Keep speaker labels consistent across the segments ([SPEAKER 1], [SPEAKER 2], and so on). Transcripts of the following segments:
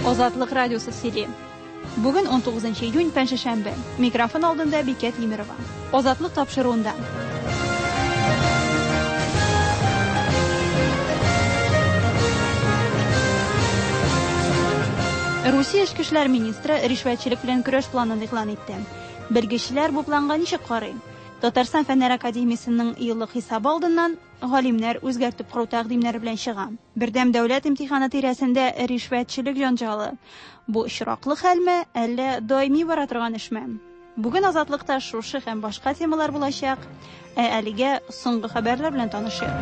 [SPEAKER 1] Азатлык радиосы сөйли. Бүген 19 июнь, пәнҗешәмбе. Микрофон алдында Бикә Тимерова. Азатлык тапшыруында. Русия эчке эшләр министры ришвәтчелек белән көрәш планын игълан итте. Белгечләр бу планга ничек карый? Татарстан Фәннәр академиясенең еллык хисабы алдыннан галимнәр үзгәртеп кору тәкъдимнәре белән чыга. Бердәм дәүләт имтиханы тирәсендә ришвәтчелек җанҗалы. Бу очраклы хәлме, әллә даими бара торган эшме? Бүген Азатлыкта шушы һәм башка темалар булачак. Ә әлегә соңгы хәбәрләр белән танышыйк.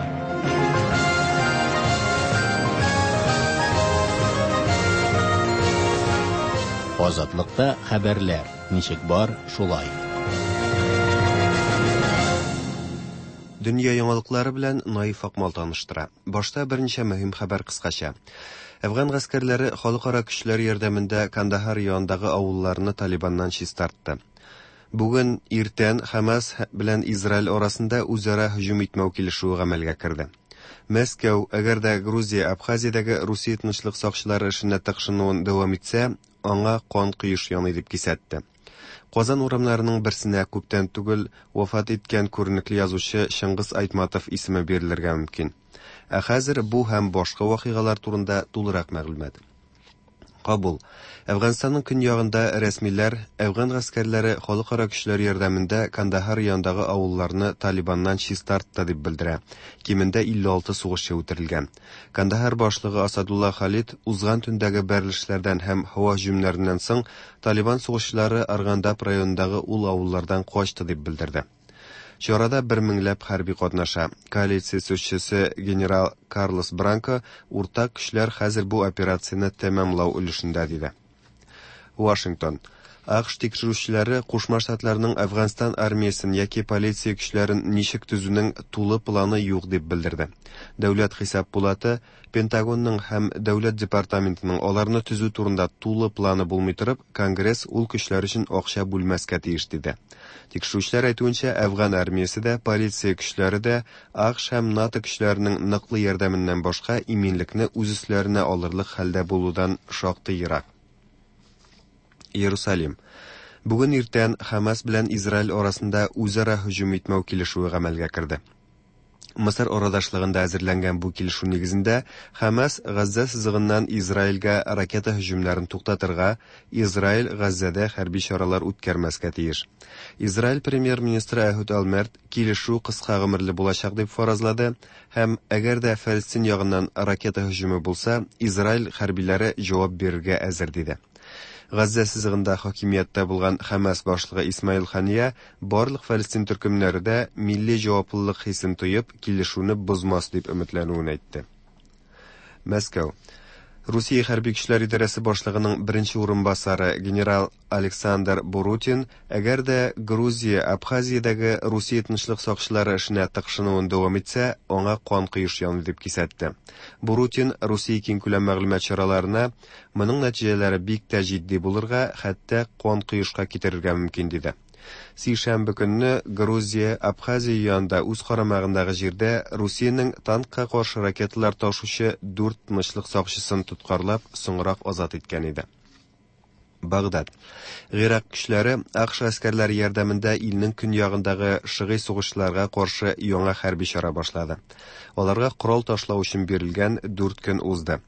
[SPEAKER 2] Азатлыкта хәбәрләр ничек бар, шулай.
[SPEAKER 3] Дөнья яңалыклары белән Наиф Акмал таныштыра. Башта берничә мөһим хәбәр кыскача. Әфган гаскәрләре халыкара көчләр ярдәмендә Кандахар янындагы авылларны Талибаннан чистартты. Бүген иртән Хәмас белән Израиль арасында үзара һөҗүм итмәү килешүе гамәлгә керде. Мәскәү, әгәр дә Грузия Абхазиядәге Русия тынычлык сакчылары эшенә тыкшынуын дәвам итсә, аңа кан коеш яный дип кисәтте. Казан урамнарының берсенә күптән түгел вафат иткән күренекле язучы Чыңгыз Айтматов исеме бирелергә мөмкин. Ә хәзер бу һәм башка вакыйгалар турында тулырак мәгълүмат. Кабул. Әфганстанның көньягында рәсмиләр әфган гаскәрләре халыкара көчләр ярдәмендә Кандахар янындагы авылларны Талибаннан чистартты дип белдерә. Кимендә 56 сугышчы үтерелгән. Кандахар башлыгы Асадулла Халид узган төндәге бәрелешләрдән һәм һава һөҗүмнәреннән соң Талибан сугышчылары Аргандап районындагы ул авыллардан качты дип белдерде. Чарада бер меңләп хәрби катнаша. Коалиция сүзчесе генерал Карлос Бранко уртак көчләр хәзер бу операцияне тәмамлау өлешендә диде. Вашингтон. АКШ тикшерүчеләре Кушма Штатларның Әфганстан армиясен яки полиция көчләрен ничек төзүнең тулы планы юк дип белдерде. Дәүләт хисап пулаты Пентагонның һәм Дәүләт департаментының аларны төзү турында тулы планы булмый торып, Конгресс ул көчләр өчен акча бүлмәскә тиеш, диде. Тикшерүчеләр әйтүенчә, Әфган армиясе дә, полиция көчләре дә АКШ һәм НАТО көчләренең ныклы ярдәменнән башка иминлекне үз өсләренә алырлык хәлдә булудан шактый ерак. Иерусалим. Бүген иртән Хәмас белән Израиль арасында үзара һөҗүм итмәү килешүе гамәлгә керде. Мысыр арадашлыгында әзерләнгән бу килешү нигезендә Хәмас Газзә сызыгыннан Израильгә ракета һөҗүмнәрен туктатырга, Израиль Газзәдә хәрби чаралар үткәрмәскә тиеш. Израиль премьер-министры Әһүд Алмерт килешү кыска гомерле булачак дип фаразлады һәм әгәр дә Фәлестин ягыннан ракета һөҗүме булса, Израиль хәрбиләре җавап бирергә әзер диде. Газзә сызыгында хакимияттә булган Хәмас башлыгы Исмаил Хания барлык фәлестин төркемнәре дә милли җаваплылык хисен тоеп, килешүне бозмас дип өметләнүен әйтте. Мәскәү. Русия хәрби көчләр идарәсе башлыгының беренче урынбасары генерал Александр Бурутин, әгәр дә Грузия Абхазиядәге Русия тынычлык сакчылары эшенә тыкшынуын дәвам итсә, аңа кан коеш яный дип кисәтте. Бурутин Русия киңкүләм мәгълүмат чараларына моның нәтиҗәләре бик тә җитди булырга, хәтта кан коешка китерергә мөмкин диде. Сишәмбе көнне Грузия Абхазия янында үз карамагындагы җирдә Русиянең танкка каршы ракеталар ташучы дүрт тынычлык сакчысын тоткарлап, соңрак азат иткән иде. Багдад. Гыйрак көчләре АКШ гаскәрләре ярдәмендә илнең көньягындагы шыгый сугышчыларга каршы яңа хәрби чара башлады. Аларга корал ташлау өчен бирелгән 4 көн узды.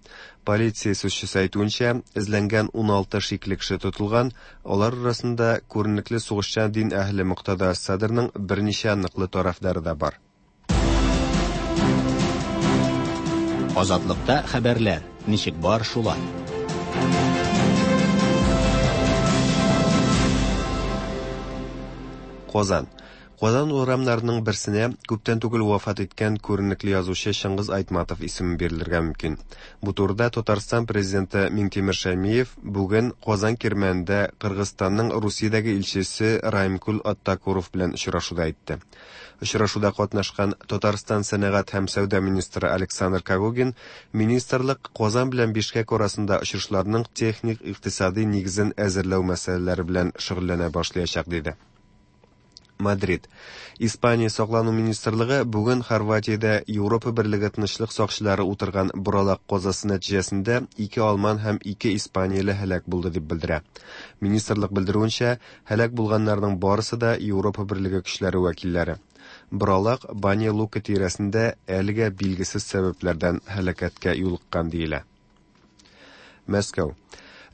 [SPEAKER 3] Полиция сүзчесе әйтүенчә, эзләнгән 16 шикле кеше тотылган, алар арасында күренекле сугышчан дин әһеле Муктада Садрның берничә ныклы тарафдары да бар.
[SPEAKER 2] Азатлыкта хәбәрләр ничек бар шулай.
[SPEAKER 3] Казан. Казан урамнарының берсенә күптән түгел вафат иткән күренекле язучы Чыңгыз Айтматов исеме бирелергә мөмкин. Бу турыда Татарстан президенты Миңтимер Шәймиев бүген Казан Кирмәнендә Кыргызстанның Русиядәге илчесе Раимкул Аттакуров белән очрашуда әйтте. Очрашуда катнашкан Татарстан сәнәгать һәм сәүдә министры Александр Когогин министрлык Казан белән Бишкәк арасында очышларның техник-икътисади нигезен әзерләү мәсьәләләре белән шөгыльләнә башлаячак диде. Мадрид. Испания саклану министрлыгы бүген Хорватиядә Европа Берлеге тынычлык сакчылары утырган боралак казасы нәтиҗәсендә ике алман һәм ике испанияле һәлак булды дип белдерә. Министрлык белдерүенчә, һәлак булганнарның барысы да Европа Берлеге көчләре вәкилләре. Боралак Баня Лука тирәсендә әлегә билгесез сәбәпләрдән һәлакәткә юлыккан диелә. Мәскәү.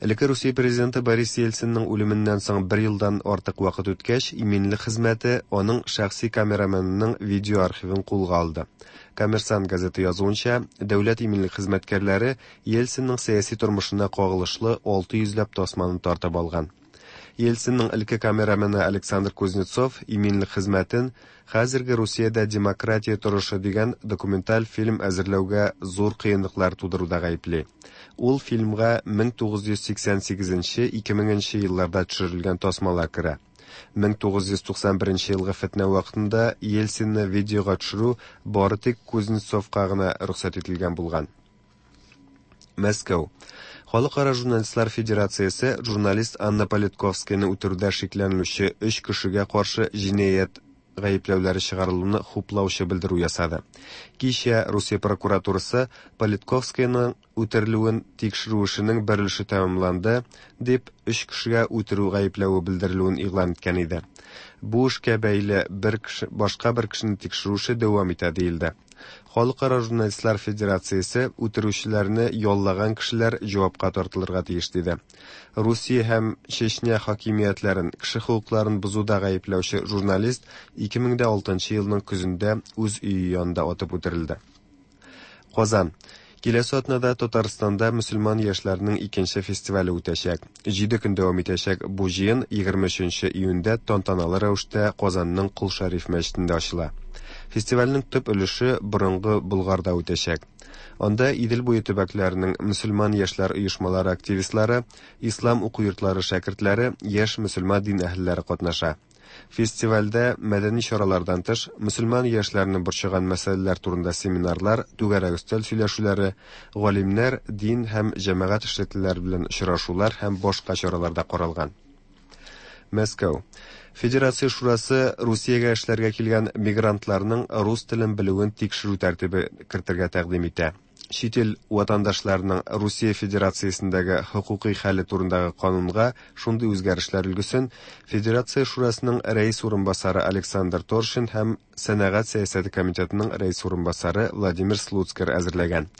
[SPEAKER 3] Элекке Русия президенты Борис Ельцинның үлеменнән соң бер елдан артык вакыт үткәч, иминлек хезмәте аның шәхси камераменының видео архивын кулга алды. Коммерсант газеты язуынча, дәүләт иминлек хезмәткәрләре Ельцинның сәяси тормышына кагылышлы 600 ләп тасманы тартып алган. Ельцинның элекке камерамены Александр Кузнецов иминлек хезмәтен Хәзерге Русиядә демократия торышы дигән документаль фильм әзерләүгә зур кыенлыклар тудыруда гаепли. Ул фильмга 1988-2000 нче елларда төшерелгән тасмалар керә. 1991 елгы фетнә вакытында Ельцинны видеога төшерү бары тик Кузнецовка гына рөхсәт ителгән булган. Мәскәү. Халыкара журналистлар федерациясе журналист Анна Политковскаяны үтерүдә шикләнелүче өч кешегә каршы җинаять гаепләүләре чыгарылуны хуплаучы белдерү ясады. Кичә Русия прокуратурасы Политковскаяның үтерелүен тикшерү эшенең бер өлеше тәмамланды, дип өч кешегә үтерү гаепләве белдерелүен игълан иткән иде. Бу эшкә бәйле бер кеше, башка бер кешене тикшерү эше дәвам итә диелде. Халыкара журналистлар федерациясе үтерүчеләрне яллаган кешеләр җавапка тартылырга тиеш диде. Русия һәм Чечня хакимиятләрен кеше хокукларын бозуда гаепләүче журналист 2006 елның көзендә үз өе янында атып үтерелде. Казан. Киләсе атнада Татарстанда мөселман яшьләренең икенче фестивале үтәчәк. Җиде көн дәвам итәчәк бу җыен 23 июньдә тантаналы рәвештә Казанның Кол Шәриф мәчетендә ачыла. Фестивальнең төп өлеше борынгы Болгарда үтәчәк. Анда Идел буе төбәкләренең мөселман яшьләр оешмалары активистлары, ислам уку йортлары шәкертләре, яшь мөселман дин әһелләре катнаша. Фестивальдә мәдәни чаралардан тыш, мөселман яшьләрне борчыган мәсьәләләр турында семинарлар, түгәрәк өстәл сөйләшүләре, галимнәр, дин һәм җәмәгать эшлеклеләре белән очрашулар һәм башка чаралар да каралган. Мәскәү. Федерация шурасы Русиягә эшләргә килгән мигрантларның рус телен белүен тикшерү тәртибе кертергә тәкъдим итә. Чит ил ватандашларының Русия Федерациясендәге хокукый хәле турындагы канунга шундый үзгәрешләр өлгесен Федерация шурасының рәис урынбасары Александр Торшин һәм Сәнәгать сәясәте комитетының рәис урынбасары Владимир Слуцкер әзерләгән.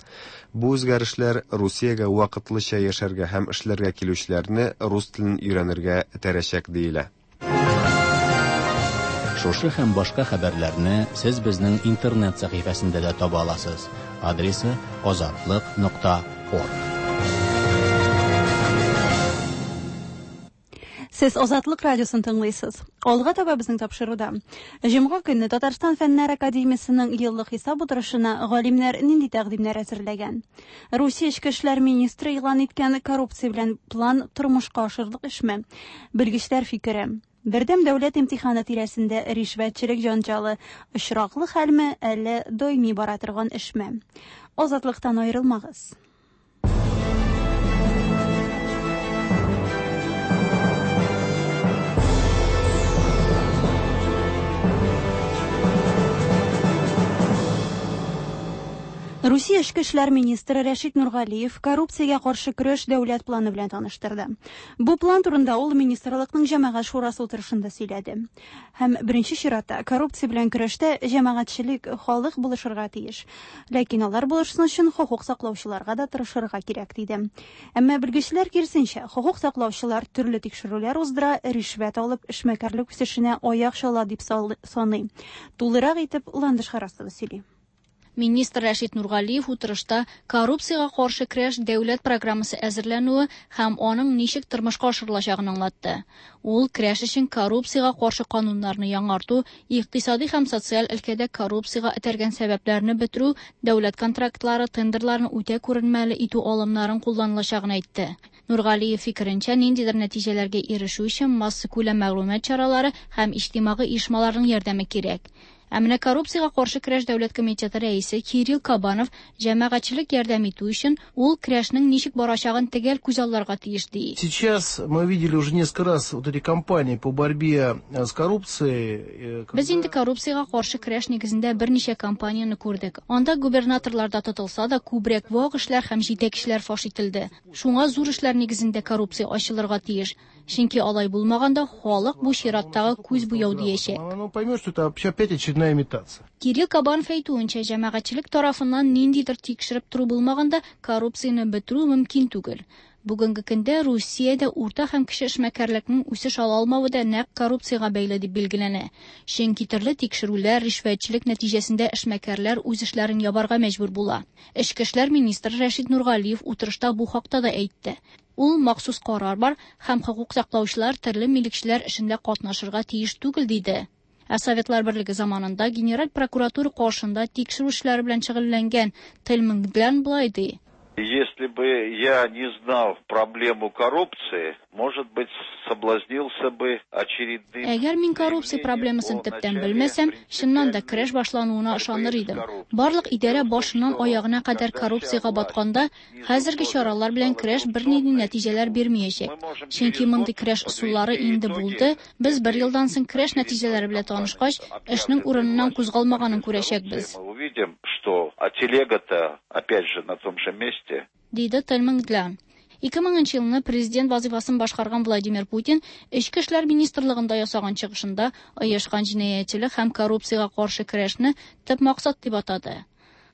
[SPEAKER 3] Бу үзгәрешләр Русиягә вакытлыча яшәргә һәм эшләргә килүчеләрне рус телен өйрәнергә этәрәчәк диелә.
[SPEAKER 2] Шушы һәм башка хәбәрләрне сез безнең интернет сәхифәсендә дә таба аласыз. Адресы азатлык.орг.
[SPEAKER 1] Сез Азатлык радиосын тыңлыйсыз. Алга таба безнең тапшыруда. Җомга көнне Татарстан Фәннәр академиясенең еллык хисап утырышына галимнәр нинди тәкъдимнәр әзерләгән? Русия эчке эшләр министры игълан иткән коррупция белән план тормышка ашырлык эшме? Белгечләр фикере. Бердәм дәүләт имтиханы тирәсендә ришвәтчелек җанҗалы очраклы хәлме, әллә даими бара торган эшме? Азатлыктан аерылмагыз. Русия эчке эшләр министры Рәшит Нургалиев коррупциягә каршы көрәш дәүләт планы белән таныштырды. Бу план турында ул министрлыкның җәмәгать шурасы утырышында сөйләде. Һәм беренче чиратта коррупция белән көрәштә җәмәгатьчелек, халык булышырга тиеш. Ләкин алар булышсын өчен хокук саклаучыларга да тырышырга кирәк, диде. Әмма белгечләр киресенчә, хокук саклаучылар төрле тикшерүләр уздыра, ришвәт алып, эшмәкәрлек үсешенә аяк чала дип саный. Тулырак итеп Ландыш Харасова сөйли.
[SPEAKER 4] Министр Рәшит Нургалиев утырышта коррупциягә каршы көрәш дәүләт программасы әзерләнүе һәм аның ничек тормышка ашырылачагын аңлатты. Ул көрәш өчен коррупциягә каршы кануннарны яңарту, икътисади һәм социаль өлкәдә коррупциягә этәргән сәбәпләрне бетерү, дәүләт контрактлары, тендерларны үтә күренмәле итү алымнарын кулланылачагын әйтте. Нургалиев фикеренчә, ниндидер нәтиҗәләргә ирешү өчен массакүләм мәгълүмат чаралары һәм иҗтимагый оешмаларның ярдәме кирәк. Ә менә коррупциягә каршы көрәш дәүләт комитеты рәисе Кирилл Кабанов җәмәгатьчелек ярдәм итү өчен ул көрәшнең ничек барачагын төгәл күзалларга тиеш ди.
[SPEAKER 5] Сейчас мы видели уже несколько раз вот эти кампании по борьбе с коррупцией.
[SPEAKER 4] Без инде коррупциягә каршы көрәш нигезендә берничә кампанияне күрдек. Анда губернаторлар да тотылса да, күбрәк вак эшләр һәм җитәкчеләр фаш ителде. Шуңа зур эшләр нигезендә коррупция ачылырга тиеш. Чөнки алай булмаганда халык бу чираттагы күз буяу диячәк.
[SPEAKER 5] Он поймет, что это опять очередная имитация.
[SPEAKER 4] Кирилл Кабанов әйтүенчә, җәмәгатьчелек тарафыннан ниндидер тикшереп тору булмаганда коррупцияне бетерү мөмкин түгел. Бүгенге көндә Русиядә урта һәм кече эшмәкәрлекнең үсеш ала алмавы да нәкъ коррупциягә бәйле дип билгеләнә. Чөнки төрле тикшерүләр, ришвәтчелек нәтиҗәсендә эшмәкәрләр үз эшләрен ябарга мәҗбүр була. Эчке эшләр министры Рәшит Нургалиев утырышта бу хакта да әйтте. Ул махсус карар бар һәм хокук саклаучылар төрле милекчеләр эшендә катнашырга тиеш түгел диде. Ә Советлар Берлеге заманында Генераль прокуратура каршында тикшерү эшләре белән шөгыльләнгән Тельман Глян болай ди.
[SPEAKER 6] Если бы я не знал проблему коррупции, может быть, соблазнился бы очередным...
[SPEAKER 4] Әгәр мин коррупция проблемасын төптән белмәсәм, чыннан да көрәш башлануына ышаныр идем. Барлык идарә башыннан аягына кадәр коррупциягә батканда, хәзерге чаралар белән көрәш бернинди нәтиҗәләр бирмәячәк. Чөнки мондый көрәш ысуллары инде булды. Без бер елдан соң көрәш нәтиҗәләре белән танышкач, эшнең урыныннан кузгалмаганын күрәчәкбез.
[SPEAKER 6] Мы увидим, что а телега-то опять же на том же месте.
[SPEAKER 4] Диде Тельман Глян. 2000 елны президент вазифасын башкарган Владимир Путин Эчке эшләр министрлыгында ясаган чыгышында оешкан җинаятьчелек һәм коррупциягә каршы көрәшне төп максат дип атады.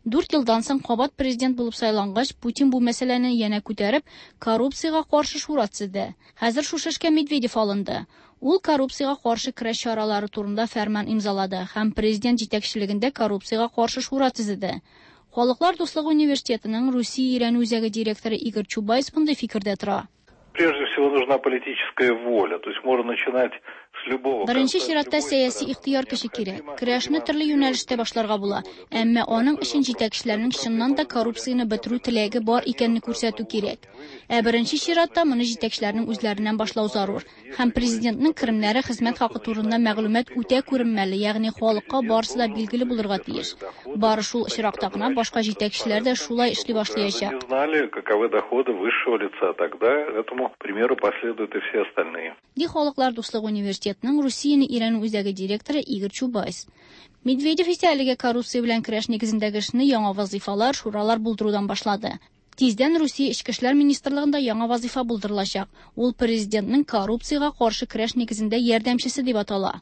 [SPEAKER 4] 4 елдан соң кабат президент булып сайлангач, Путин бу мәсьәләне янә күтәреп, коррупциягә каршы шура төзеде. Хәзер шушы эшкә Медведев алынды. Ул коррупциягә каршы көрәш чаралары турында фәрман имзалады һәм президент җитәкчелегендә коррупциягә каршы шура төзеде. Халыклар дуслыгы университетының Русия өйрәнү үзәге директоры Игорь Чубайс мондый фикердә тора.
[SPEAKER 7] Прежде всего нужна политическая воля, то есть можно начинать с любого.
[SPEAKER 4] Беренче чиратта сәяси ихтыяр көче кирәк. Көрәшне төрле юнәлештә башларга була, әмма аның өчен җитәкчеләрнең чыннан да коррупцияне бетерү теләге бар икәнне күрсәтү кирәк. Ә беренче чиратта моны җитәкчеләрнең үзләреннән башлау зарур. Һәм президентның керемнәре, хезмәт хакы турында мәгълүмат үтә күренмәле, ягъни халыкка барысы да билгеле булырга тиеш. Бары шул очракта гына башка җитәкчеләр дә шулай эшли башлаячак.
[SPEAKER 7] Знали, каковы доходы высшего лица, тогда этому примеру последуют и все остальные.
[SPEAKER 4] Ди Халыклар дуслыгы университетының Русияне өйрәнү үзәге директоры Игорь Чубайс. Медведев исә әлегә коррупция белән көрәш нигезендәге эшне яңа вазифалар, шуралар булдырудан башлады. Тиздән Русия Эчке эшләр министрлыгында яңа вазифа булдырылачак. Ул президентның коррупциягә каршы көрәш нигезендә ярдәмчесе дип атала.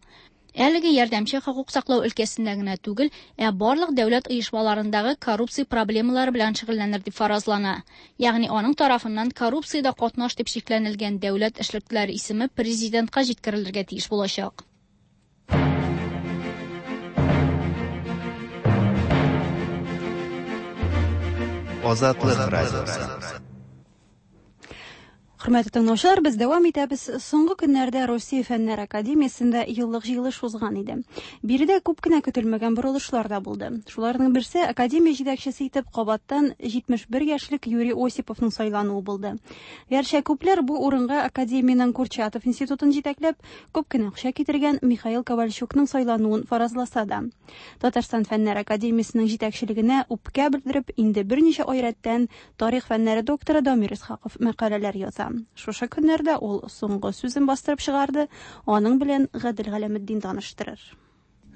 [SPEAKER 4] Әлеге ярдәмче хокук саклау өлкәсендә генә түгел, ә барлык дәүләт оешмаларындагы коррупция проблемалары белән шөгыльләнер дип фаразлана. Ягъни аның тарафыннан коррупциядә катнаш дип шикләнелгән дәүләт эшлеклеләре исеме президентка җиткерелергә тиеш булачак.
[SPEAKER 3] Азатлык радиосы.
[SPEAKER 1] Хөрмәтле тыңлаучылар, без дәвам итәбез. Соңгы көннәрдә Русия Фәннәр Академиясендә еллык җыелыш узган иде. Биредә күп кенә көтелмәгән борылышлар да булды. Шуларның берсе академия җитәкчесе итеп кабаттан 71 яшьлек Юрий Осиповның сайлануы булды. Гәрчә күпләр бу урынга академиянең Курчатов институтын җитәкләп, күп кенә акча китергән Михаил Ковальчукның сайлануын фаразласа да. Татарстан Фәннәр Академиясенең җитәкчелегенә үпкә белдереп, инде берничә ай рәттән тарих фәннәре докторы Дамир Исхаков мәкаләләр яза. Шушы көннәрдә ул соңгы сүзен бастырып чыгарды, аның белән Гадел Галәметдин таныштырыр.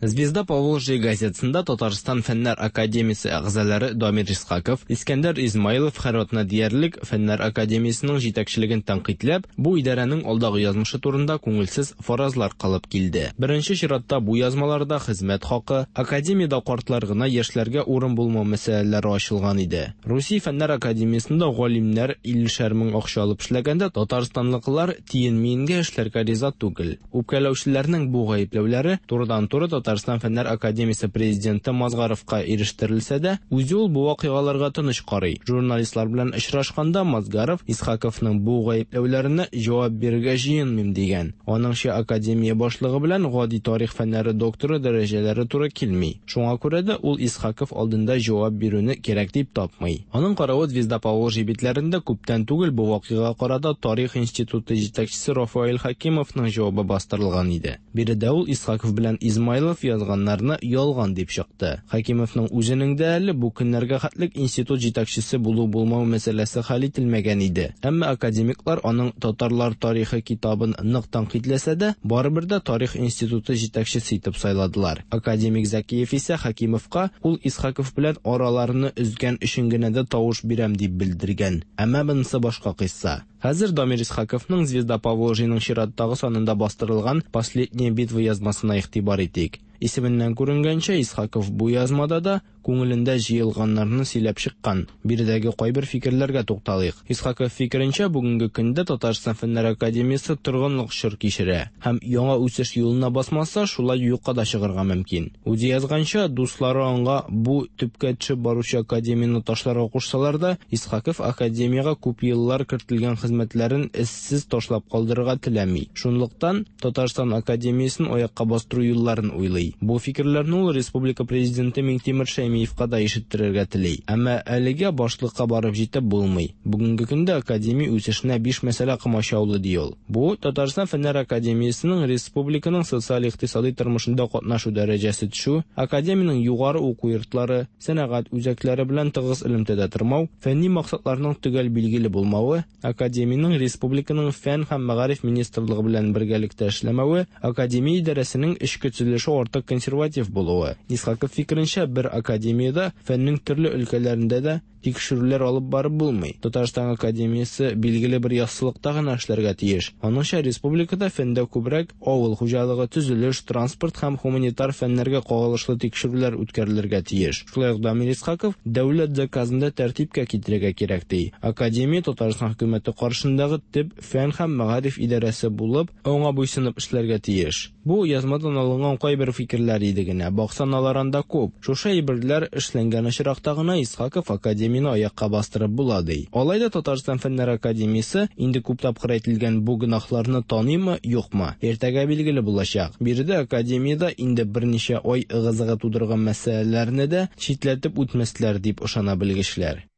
[SPEAKER 8] Звезда Поволжья газетасында Татарстан Фәннәр Академиясе әгъзалары Дамир Исхаков, Искәндәр Измайлов һәр атна диярлек Фәннәр Академиясенең җитәкчелеген тәнкыйтьләп, бу идарәнең алдагы язмышы турында күңелсез фаразлар кылып килде. Беренче чиратта бу язмаларда хезмәт хакы, академиядә картлар гына яшьләргә урын булмау мәсьәләләре ачылган иде. Русия Фәннәр Академиясендә галимнәр 50 мең акча алып эшләгәндә, татарстанлыклар тиен-миенгә эшләргә риза түгел. Үпкәләүчеләрнең бу гаепләүләре турыдан-туры Татарстан Фәннәр Академиясе президенты Мазгаровка ирештерелсә дә, үзе ул бу вакыйгаларга тыныч карый. Журналистлар белән очрашканда Мазгаров Исхаковның бу гаепләүләренә җавап бирергә җыенмыйм дигән. Аныңча, академия башлыгы белән гади тарих фәннәре докторы дәрәҗәләре туры килми. Шуңа күрә дә ул Исхаков алдында җавап бирүне кирәк дип тапмый. Аның каравы Звезда Поволжья битләрендә күптән түгел бу вакыйга карата Тарих институты җитәкчесе Рафаэль Хакимовның җавабы бастырылган иде. Биредә ул Исхаков белән Измайлов Хәкимов язганнарны ялган дип чыкты. Хәкимовның үзенең дә әле бу көннәргә хәтлек институт җитәкчесе булу-булмау мәсьәләсе хәл ителмәгән иде. Әмма академиклар аның Татарлар тарихы китабын нык тәнкыйтьләсә дә, барыбер дә тарих институты җитәкчесе итеп сайладылар. Академик Зәкиев исә Хәкимовка ул Исхаков белән араларны өзгән өчен генә дә тавыш бирәм дип белдергән. Әмма монысы башка кыйсса. Хәзер Дамир Исхаковның Звезда Поволжьеның чираттагы санында бастырылган Последняя битва язмасына игътибар итик. Исеменнән күренгәнчә, Исхаков бу язмада да күңелендә җыелганнарны сөйләп чыккан. Биредәге кайбер фикерләргә тукталыйк. Исхаков фикеренчә, бүгенге көндә Татарстан Фәннәр академиясе торгынлык чор кичерә һәм яңа үсеш юлына басмаса, шулай юкка да чыгарга мөмкин. Үзе язганча, дуслары аңа бу төпкә төшеп баручы академияне ташларга кушсалар да, Исхаков академиягә күп еллар кертелгән хезмәтләрен эзсез ташлап калдырырга теләми. Шунлыктан Татарстан академиясен аякка бастыру юлларын уйлый. Бу фикерләрне ул республика президенты Миңтимер Шәймиевка да ишеттерергә тели. Әмма әлегә башлыкка барып җитеп булмый. Бүгенге көндә академия үсешенә биш мәсьәлә комачаулый, ди ул. Бу, Татарстан Фәннәр академиясенең республиканың социаль-икътисадый тормышында катнашу дәрәҗәсе төшү, академиянең югары уку йортлары, сәнәгать үзәкләре белән тыгыз элемтәдә тормау, фәнни максатларның төгәл билгеле булмавы, академиянең республиканың фән һәм мәгариф министрлыгы белән бергәлектә эшләмәве, академия идарәсенең эчке төзелеше артык консерватив булуы. Исхаков фикеренчә, бер академиядә фәннең төрле өлкәләрендә дә тикшерүләр алып барып булмый. Татарстан академиясе билгеле бер яссылыкта гына эшләргә тиеш. Аныңча, республикада фәндә күбрәк авыл хуҗалыгы, төзелеш, транспорт һәм гуманитар фәннәргә кагылышлы тикшерүләр үткәрелергә тиеш. Шулай ук Дамир Исхаков дәүләт заказын да тәртипкә китерергә кирәк ди. Академия Татарстан хөкүмәте каршындагы төп фән һәм мәгариф идарәсе булып, аңа буйсынып эшләргә тиеш. Бу язмадан алынган кайбер фикерләр иде генә. Баксаң, алар анда күп. Шушы әйберләр эшләнгән очракта гына Исхаков академияне аякка бастырып була ди. Алай да Татарстан Фәннәр академиясе инде күп тапкыр әйтелгән бу гөнаһларны таныймы, юкмы? Иртәгә билгеле булачак. Биредә академиядә инде берничә ай ыгы-зыгы тудырган мәсьәләләрне дә читләтеп үтмәсләр дип ышана белгечләр.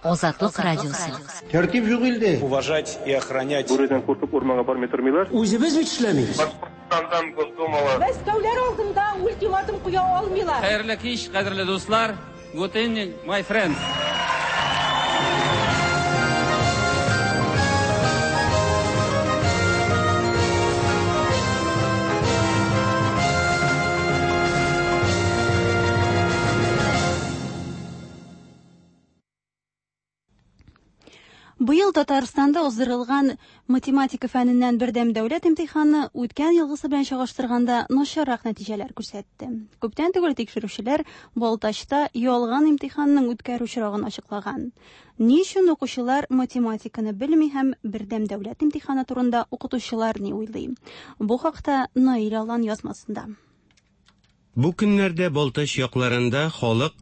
[SPEAKER 9] Азатлык радиосы.
[SPEAKER 5] Тәртип юк илдә.
[SPEAKER 10] Уважать и охранять.
[SPEAKER 7] Бүредән куркып урманга бармый тормыйлар.
[SPEAKER 5] Үзебез бит эшләмибез.
[SPEAKER 7] Башкортстандан Госдумалы.
[SPEAKER 11] Мәскәүләр алдында ультиматум куя алмыйлар.
[SPEAKER 12] Хәерле кич, кадерле дуслар. Good evening, my friends.
[SPEAKER 1] Быел Татарстанда уздырылган математика фәненнән бердәм дәүләт имтиханы үткән елгысы белән чагыштырганда начаррак нәтиҗәләр күрсәтте. Күптән түгел тикшерүчеләр Балтачта ялган имтиханның үткәрү очрагын ачыклаган. Ни өчен укучылар математиканы белми һәм бердәм дәүләт имтиханы турында укытучылар ни уйлый? Бу хакта Наил Алан язмасында.
[SPEAKER 13] Бу көннәрдә Балтач якларында халык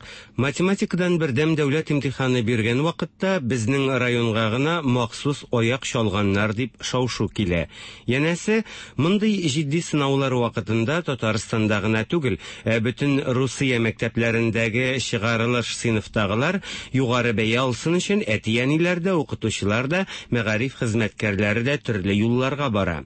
[SPEAKER 13] математикадан бердәм дәүләт имтиханы биргән вакытта безнең районга гына махсус аяк чалганнар дип шау-шу килә. Янәсе, мондый җитди сынаулар вакытында Татарстанда гына түгел, ә бөтен Русия мәктәпләрендәге чыгарылыш сыйныфтагылар югары бәя алсын өчен әти-әниләр дә, укытучылар да, мәгариф хезмәткәрләре дә төрле юлларга бара.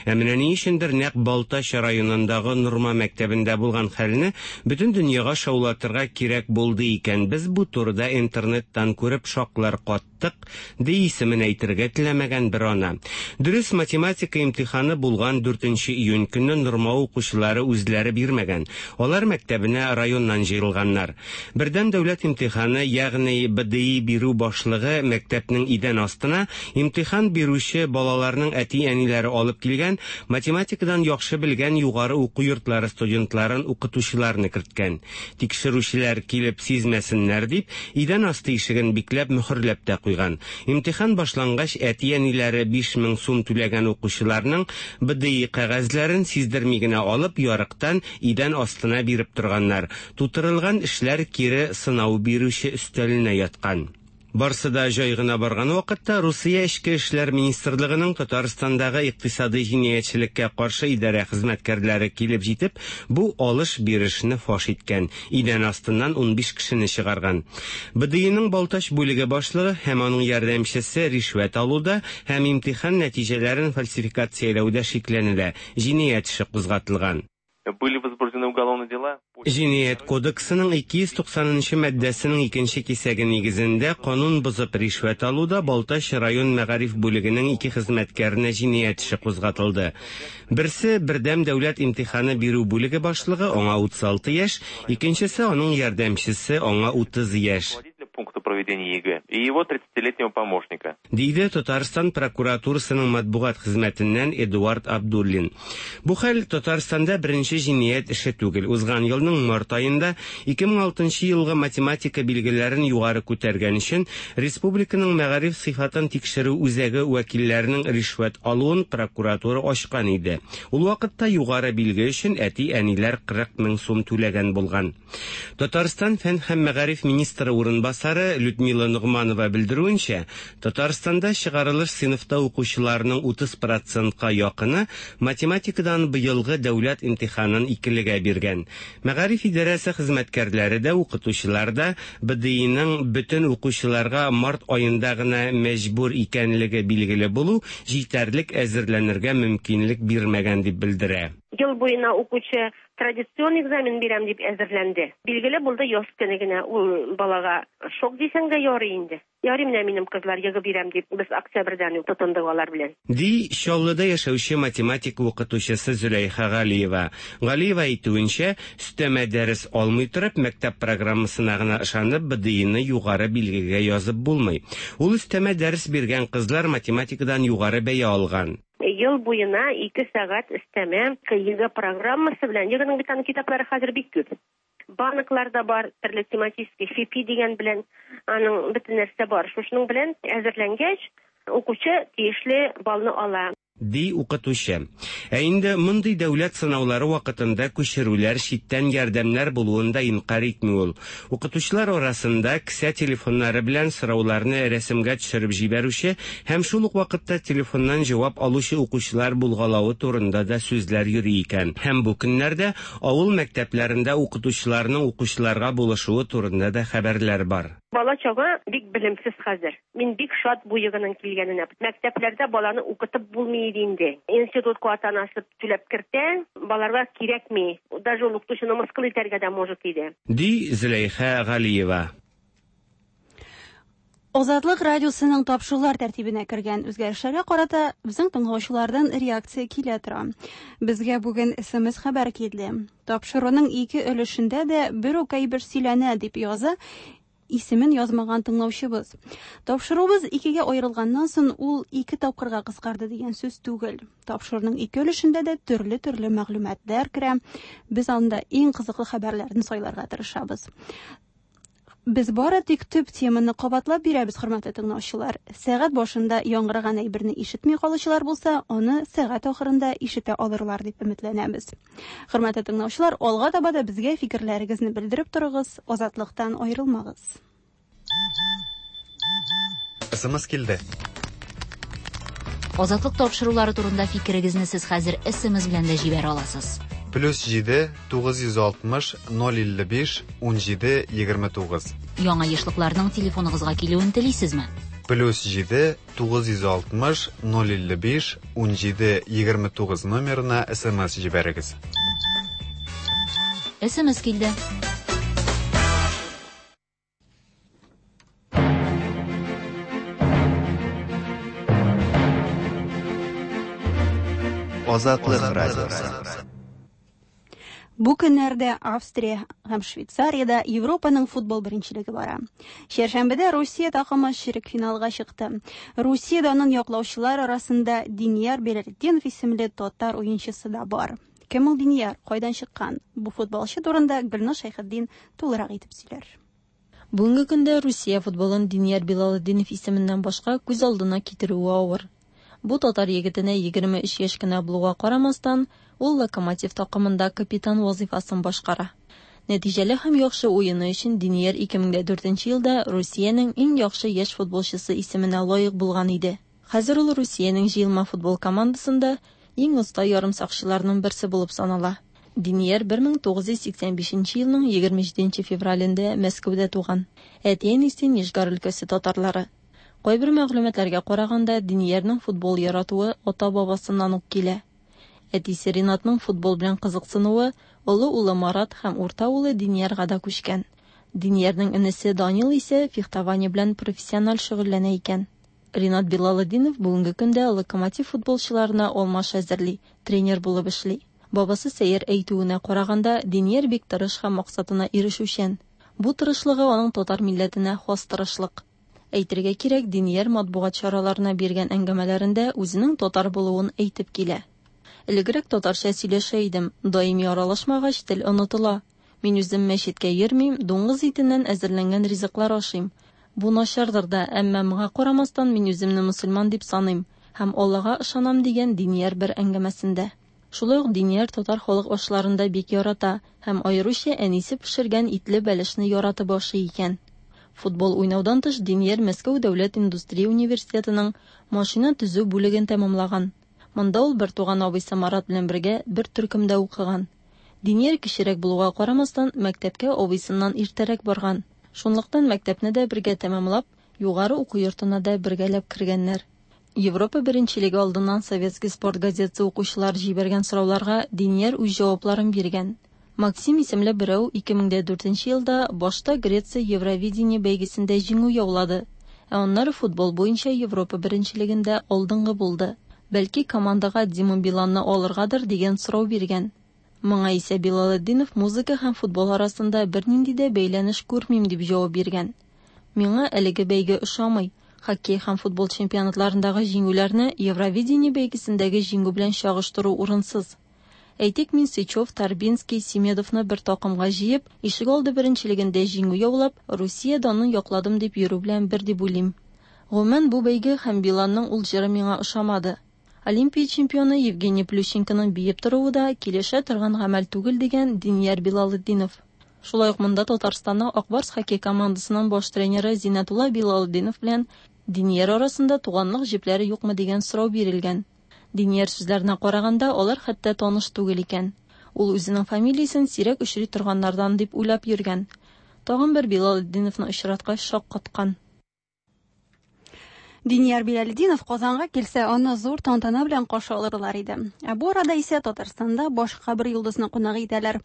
[SPEAKER 13] Ә менә ни өчендер нәкъ Балтач районындагы Норма мәктәбендә булган хәлне бөтен дөньяга шаулатырга кирәк булды икән. Без бу турыда интернеттан күреп шаклар каттык, ди исемен әйтергә теләмәгән бер ана. Дөрес, математика имтиханы булган 4 июнь көнне Норма укучылары үзләре бирмәгән. Алар мәктәбенә районнан җыелганнар. Бердәм дәүләт имтиханы, ягъни БДИ бирү башлыгы мәктәпнең идән астына имтихан бирүче балаларның әти-әниләре алып килгән математикадан яхшы белгән югары уку йортлары студентларын укытучыларны керткән. Тикшерүчеләр килеп сизмәсеннәр дип, идән асты ишеген бикләп мөхерләп тә куйган. Имтихан башлангач, әти-әниләре 5000 сум түләгән укучыларның БДИ кәгазьләрен сиздерми генә алып, ярыктан идән астына биреп торганнар. Тутырылган эшләр кире сынау бирүче өстәленә яткан. Барсы да җай гына барган вакытта Русия Эчке эшләр министрлыгының Татарстандагы икътисадый җинаятьчелеккә каршы идарә хезмәткәрләре килеп җитеп, бу алыш-бирешне фаш иткән, идән астыннан 15 кешене чыгарган. БДИның Балтач бүлеге башлыгы һәм аның ярдәмчесе ришвәт алуда һәм имтихан нәтиҗәләрен фальсификацияләүдә шикләнелә, җинаять эше кузгатылган.
[SPEAKER 9] Были возбуждены уголовные дела.
[SPEAKER 13] Җинаять кодексының 290 нчы маддәсенең икенче кисәге нигезендә канун бозып ришвәт алуда Балтач район мәгариф бүлегенең ике хезмәткәренә җинаять эше кузгатылды. Берсе бердәм дәүләт имтиханы бирү бүлеге башлыгы, аңа 36 яшь, икенчесе аның ярдәмчесе, аңа 30 яшь.
[SPEAKER 9] Пункта проведения ЕГЭ и его 30-летнего помощника.
[SPEAKER 13] Диде Татарстан прокуратурасының матбугат хезмәтеннән Эдуард Абдуллин. Бу хәл Татарстанда беренче җинаять эше түгел. Узган елның март аенда 2006 елгы математика билгеләрен югары күтәргән өчен республиканың мәгариф сыйфатын тикшерү үзәге вәкилләренең ришвәт алуын прокуратура ачкан иде. Ул вакытта югары билге өчен әти-әниләр 40 мең сум түләгән булган. Татарстан фән һәм мәгариф министры урынбасары Людмила Ногманова белдерүенчә, Татарстанда чыгарылыш сыйныфта укучыларның 30 процентка якыны математикадан быелгы дәүләт имтиханын икелегә биргән. Мәгариф идарәсе хезмәткәрләре дә, укытучылар да БДИның бөтен укучыларга март аенда гына мәҗбүр икәнлеге билгеле булу җитәрлек әзерләнергә мөмкинлек бирмәгән дип белдерә.
[SPEAKER 10] Ел буена укучы традицион экзамен бирәм дип әзерләнде. Билгеле булды, яз көне генә ул балага шок дисәң дә ярый инде. Ярый менә минем кызлар ЕГЭ бирәм дип, без октябрьдән үк тотындык алар белән.
[SPEAKER 13] Ди Чаллыда яшәүче математика укытучысы Зөләйха Галиева. Галиева әйтүенчә, өстәмә дәрес алмый торып, мәктәп программасына гына ышанып, БДИны югары билгегә язып булмый. Ул өстәмә дәрес биргән кызлар математикадан югары бәя алган.
[SPEAKER 10] Ел буена 2 сәгать өстәмә ЕГЭ программасы белән, ЕГЭның бит аның китаплары хәзер бик күп. Банклар да бар, төрле тематический ФИПИ дигән белән, аның бөтен нәрсә бар. Шушының белән әзерләнгәч, укучы тиешле баллны ала.
[SPEAKER 13] Ди укытучы. Ә инде мондый дәүләт сынаулары вакытында күчерүләр, читтән ярдәмнәр булуын да инкарь итми ул. Укытучылар арасында кесә телефоннары белән сорауларны рәсемгә төшереп җибәрүче һәм шул ук вакытта телефоннан җавап алучы укучылар булгалавы турында да сүзләр йөри икән. Һәм бу көннәрдә авыл мәктәпләрендә укытучыларның укучыларга булышуы турында да хәбәрләр бар.
[SPEAKER 10] Бала чага бик белемсез хәзер. Мин бик шат бу ЕГЭның килгәненә. Мәктәпләрдә баланы укытып булмый иде инде. Институтка ата-анасы түләп кертә, балаларга кирәкми. Даже ул укытучыны мыскыл итәргә дә может иде.
[SPEAKER 13] Ди Зөләйха Галиева.
[SPEAKER 1] Азатлык радиосының тапшырулар тәртибенә кергән үзгәрешләргә карата безнең тыңлаучылардан реакция килә тора. Безгә бүген SMS хәбәр килде. Тапшыруның ике өлешендә дә бер үк әйбер сөйләнә дип яза исемен язмаган тыңлаучыбыз. Тапшыруыбыз икегә аерылганнан соң ул ике тапкырга кыскарды дигән сүз түгел. Тапшыруның ике өлешендә дә төрле-төрле мәгълүматлар керә. Без анда иң кызыклы хәбәрләрне сайларга тырышабыз. Без бары тик төп теманы кабатлап бирәбез, хөрмәтле тыңлаучылар. Сәгать башында яңгыраган әйберне ишетми калучылар булса, аны сәгать ахырында ишетә алырлар дип өметләнәбез. Хөрмәтле тыңлаучылар, алга таба да безгә фикерләрегезне белдереп торыгыз, азатлыктан аерылмагыз.
[SPEAKER 3] СМС килде.
[SPEAKER 4] Азатлык тапшырулары турында фикерегезне сез хәзер SMS белән дә җибәрә аласыз.
[SPEAKER 3] Плюс 7 960 055 17 29.
[SPEAKER 4] Яңа ешлыкларның телефоныгызга килүен телисезме?
[SPEAKER 3] Плюс 7 960 055 17 29 номерына SMS җибәрегез.
[SPEAKER 4] SMS килде.
[SPEAKER 3] Азатлык радиосы.
[SPEAKER 1] Бу көннәрдә Австрия һәм Швейцариядә Европаның футбол беренчелеге бара. Чәршәмбедә Русия такымы чирек финалга чыкты. Русия данын яклаучылар арасында Динияр Беләлетдинов исемле татар уенчысы да бар. Кем ул Динияр? Кайдан чыккан? Бу футболчы турында Гөлназ Шәйхетдин тулырак итеп сөйләр.
[SPEAKER 14] Бүгенге көндә Русия футболын Динияр Билалетдинов исеменнән башка күз алдына китерүе авыр. Бу татар егетенә 23 яшь кенә булуга карамастан, ул Локомотив такымында капитан вазифасын башкара. Нәтиҗәле һәм яхшы уены өчен Динияр 2004 елда Русиянең иң яхшы яшь футболчысы исеменә лаек булган иде. Хәзер ул Русиянең җыелма футбол командасында иң оста ярымсакчыларның берсе булып санала. Динияр 1985 елның 27 февралендә Мәскәүдә туган. Әти-әнисе Нижгар өлкәсе татарлары. Кайбер мәгълүматларга караганда, Диниярның футбол яратуы ата-бабасыннан ук килә. Әтисе Ринатның футбол белән кызыксынуы олы улы Марат һәм урта улы Диниярга да күчкән. Диниярның энесе Данил исә фехтование белән профессиональ шөгыльләнә икән. Ринат Билалетдинов бүгенге көндә Локомотив футболчыларына алмаш әзерли, тренер булып эшли. Бабасы Сәйяр әйтүенә караганда, Динияр бик тырыш һәм максатына ирешүчән. Бу тырышлыгы аның татар милләтенә хас тырышлык. Әйтергә кирәк, Динияр матбугат чараларына биргән әңгәмәләрендә үзенең татар булуын әйтеп килә. Элегрәк татарча сөйләшә идем, даими аралашмагач, тел онытыла. Мин үзем мәчеткә йөрмим, дуңгыз итеннән әзерләнгән ризыклар ашыйм. Бу начардыр да, әмма моңа карамастан мин үземне мөселман дип саныйм һәм Аллага ышанам, дигән Динияр бер әңгәмәсендә. Шулай ук Динияр татар халык ашларын да бик ярата һәм аеруча әнисе пешергән итле бәлешне яратып ашый икән. Футбол уйнаудан тыш Динияр Мәскәү дәүләт индустрия университетының машина төзү бүлеген тәмамлаган. Монда ул бертуган абыйсы Марат белән бергә бер төркемдә укыган. Динияр кечерәк булуга карамастан, мәктәпкә абыйсыннан иртәрәк барган. Шунлыктан мәктәпне дә бергә тәмамлап, югары уку йортына да бергәләп кергәннәр. Европа беренчелеге алдыннан Советский спорт газетасы укучылар җибәргән сорауларга Динияр үз җавапларын биргән. Максим исемле берәү 2004 елда башта Греция Евровидение бәйгесендә җиңү яулады, ә аннары футбол буенча Европа беренчелегендә алдынгы булды. Бәлки командага Дима Биланны алыргадыр дигән сорау биргән. Моңа исә Билалетдинов музыка һәм футбол арасында бернинди дә бәйләнеш күрмим дип җавап биргән. Миңа әлеге бәйге ошамый. Хоккей һәм футбол чемпионатларындагы җиңүләрне Евровидение бәйгесендәге җиңү белән чагыштыру урынсыз. Әйтик, мин Сычев, Торбинский, Семедовны бер такымга җыеп, ишегалды беренчелегендә җиңү яулап, Русия данын якладым дип йөрү белән бер дип уйлыйм. Гомумән, бу бәйге һәм Биланның ул җыры миңа ошамады. Олимпия чемпионы Евгений Плющенконың биеп торуы да килешә торган гамәл түгел, дигән Динияр Билалетдинов. Шулай ук монда Татарстанның Ак Барс хоккей командасының баш тренеры Зиннәтулла Билалетдинов белән Динияр арасында туганлык җепләре юкмы дигән сорау бирелгән. Динияр сүзләренә караганда, алар хәтта таныш түгел икән. Ул үзенең фамилиясен сирәк очрый торганнардан дип уйлап йөргән. Тагын бер Билалетдиновны очраткач шаккаткан.
[SPEAKER 1] Динияр Билалетдинов Казанга килсә, аны зур тантана белән каршы алырлар иде. Ә бу арада исә Татарстанда башка бер йолдызны кунак итәләр.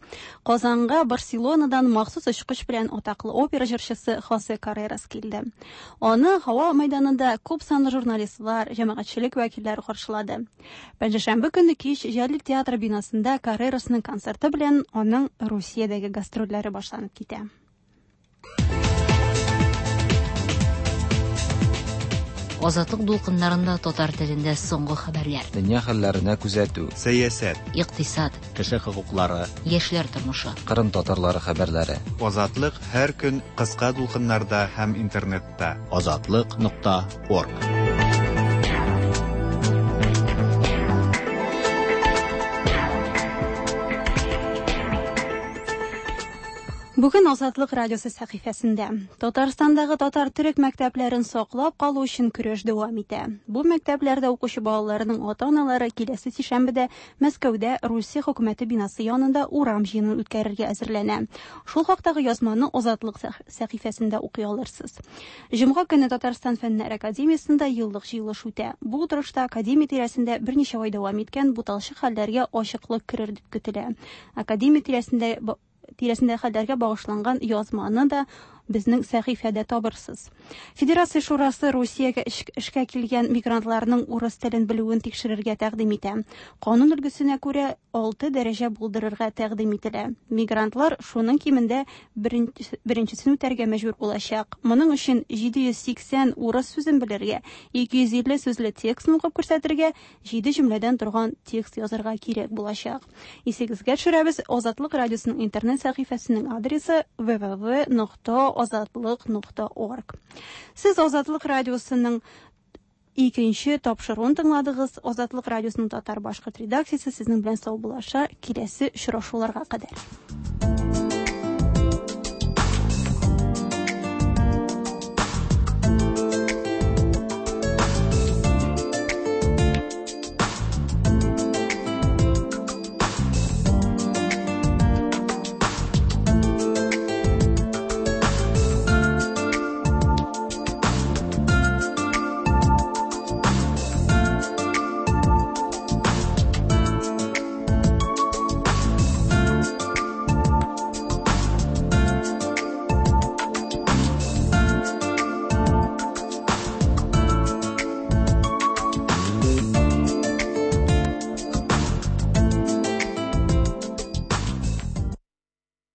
[SPEAKER 1] Казанга Барселонадан махсус очкыч белән атаклы опера җырчысы Хосе Каррерас килде. Аны һава мәйданында күп санлы журналистлар, җәмәгатьчелек вәкилләре каршылады. Пәнҗешәмбе көнне кич Җәлил театры бинасында Каррерасның концерты белән аның Русиядәге гастрольләре башланып китә.
[SPEAKER 15] Азатлык дулкыннарында татар телендә соңгы хәбәрләр.
[SPEAKER 16] Дөнья хәлләренә күзәтү.
[SPEAKER 3] Сәясәт.
[SPEAKER 15] Икътисад.
[SPEAKER 2] Кеше хокуклары.
[SPEAKER 15] Яшьләр тормышы.
[SPEAKER 16] Кырым татарлары хәбәрләре.
[SPEAKER 3] Азатлык һәр көн кыска дулкыннарда һәм интернетта.
[SPEAKER 2] Азатлык.орг.
[SPEAKER 1] Бүген Азатлык радиосы сәхифәсендә Татарстандагы татар төрек мәктәпләрен саклап калу өчен көрәш дәвам итә. Бу мәктәпләрдә укучы балаларның ата-аналары киләсе сишәмбедә Мәскәүдә Русия хөкүмәте бинасы янында урам җыенын үткәрергә әзерләнә. Шул хактагы язманы Азатлык сәхифәсендә укый алырсыз. Җомга көне Татарстан Фәннәр академиясендә еллык җыелыш үтә. Бу утырышта академия тирәсендә берничә ай дәвам иткән буталчык хәлләргә ачыклык керер дип көтелә. Академия тирәсендә хәлләргә багышланган язманы да безнең сәхифәдә табырсыз. Федерация шурасы Русиягә эшкә килгән мигрантларның урыс телен белүен тикшерергә тәкъдим итә. Канун өлгесенә күрә 6 дәрәҗә булдырырга тәкъдим ителә. Мигрантлар шуның кимендә беренчесен үтәргә мәҗбүр булачак. Моның өчен 780 урыс сүзен белергә, 250 сүзле текстны укып күрсәтергә, 7 җөмләдән торган текст язарга кирәк булачак. Исегезгә төшерәбез, Азатлык радиосының интернет сәхифәсенең адресы www.azatliq.org. Сез Азатлык радиосының икенче тапшыруын тыңладыгыз. Азатлык радиосының татар башкорт редакциясе сезнең белән саубуллаша. Киләсе очрашуларга кадәр.